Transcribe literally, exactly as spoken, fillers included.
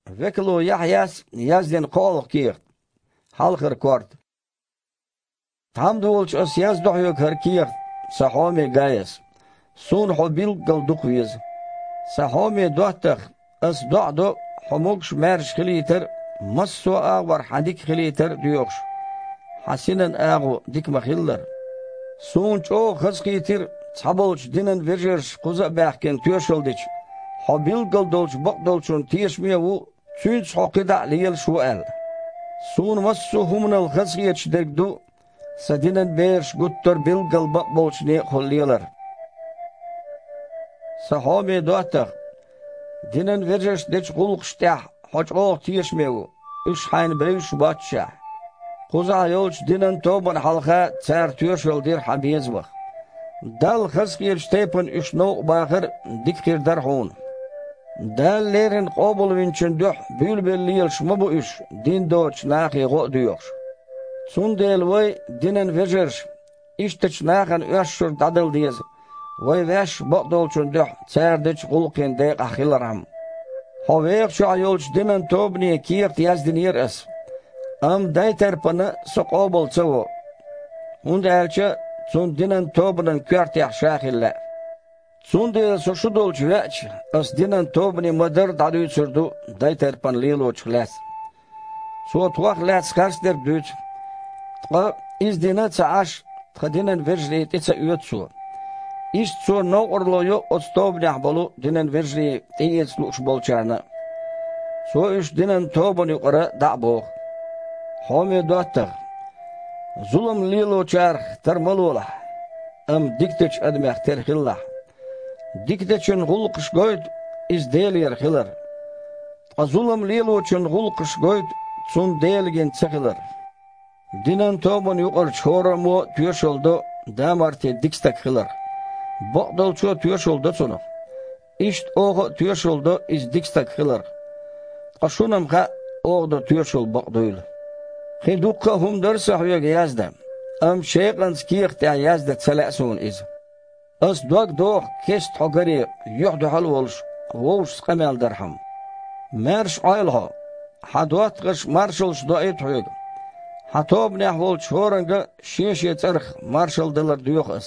Векало Яхьъяс яздина кхоалгӀа кехат. Хьалхара корта. Тхьамда волчу ас яздо хьоьга хӀара кехат, сан хьоме Гаяс. Суна хьо билггал дукха веза. Сан хьоме доттагӀа, ас доӀа до, хьо могуш-маьрша хилийтар а, массо а агӀор хьан дика хилийтар а доьхуш, хьан синан агӀо дика ма-хиллара. Суна чӀогӀа хазахийтира, цхьаболчу динан вежарша кхуза а баьхкина тоьшалла дича, хьо билггал долчу бакъдолчунна тешаме а ву, цуьнца хьо кхидӀа а лелаш ву аьлла. Суна массо а хӀуманал хазахеташ дерг ду, сан динан бераш гуттар а билггал бакъболчу некъахула лелар. Сан хьоме доттагӀа, динан вежаршна дечу гӀуллакхашна тӀехь хьо чӀогӀа тешаме ву, уьш хьайна бевзаш боццушехь. Кхузахь йолчу динан тобанна хьалха цара тоьшалла дира хьан безамах. Далла хазахетачу тайпана уьш новкъа бахар а дика хир дара хьуна. Дала леррина къобалвинчун дуьхьа буьйлабелла лелаш ма бу уьш, дин доцучу нахе гӀо а доьхуш. Цундела вай, динан вежарша, ишттачу нахана оьшшург дӀадала деза, вай ваьш бакъдолчун дуьхьа цара дечу гӀуллакхийн декъахь хилархьама. Хьо вехачохь йолчу динан тобане кехат яздинера ас, амма Дайтарпана со къобал ца во, хӀунда аьлча цунна динан тобанан коьртехь ша хила лаьа. Цундела со шу долчу веача, ас динан тобане ма-дарра дӀадуьйцур ду Дайтарпана лелочух лаьцна. Цо тхох лаьцна харцдерг дуьйцу. Ткъа, иза дина а ца Ӏаш, тхан динан вежарий тӀе ца оьцу цо. Иштта цо новкъарло йо оцу тобанехь болу динан вежарий тӀеэца лууш болчарна а. Цо уьш динан тобанна юкъара дӀа а боху. Хьоме доттагӀа, зулам лелочарах тера ма лолахь, амма дикачу адамех тера хилалахь. Дикачун гӀуллакхаш гойту иза Делера хилар. Ткъа зулам лелочун гӀуллакхаш гойту цунна Дела гина ца хилар. Динан тобанна юкъарчу хӀораммо а тоьшалла до да-марте дика стаг хиларх. Бакъдолчо а тоьшалла до цунах. Иштта оха а тоьшалла до иза дика стаг хиларх. Ткъа шуна-м хаьа, оха до тоьшалла бакъ дуйла. Кхин дуккха а хӀума дара сан хьоьга яздан, амма шекъанца кехат тӀехь яздан ца лаьа суна иза. Ас дог доху кеста хьо гаре, юьхь-дуьхьал а волуш, вовшашца къамел дархьама. Маьрша Ӏойла хьо, хьан доттагӀаша маршаллаш доуьйту хьоьга. Хьан тобанехь волчу хӀоранга шен-шен цӀарах маршалла далар доьху ас.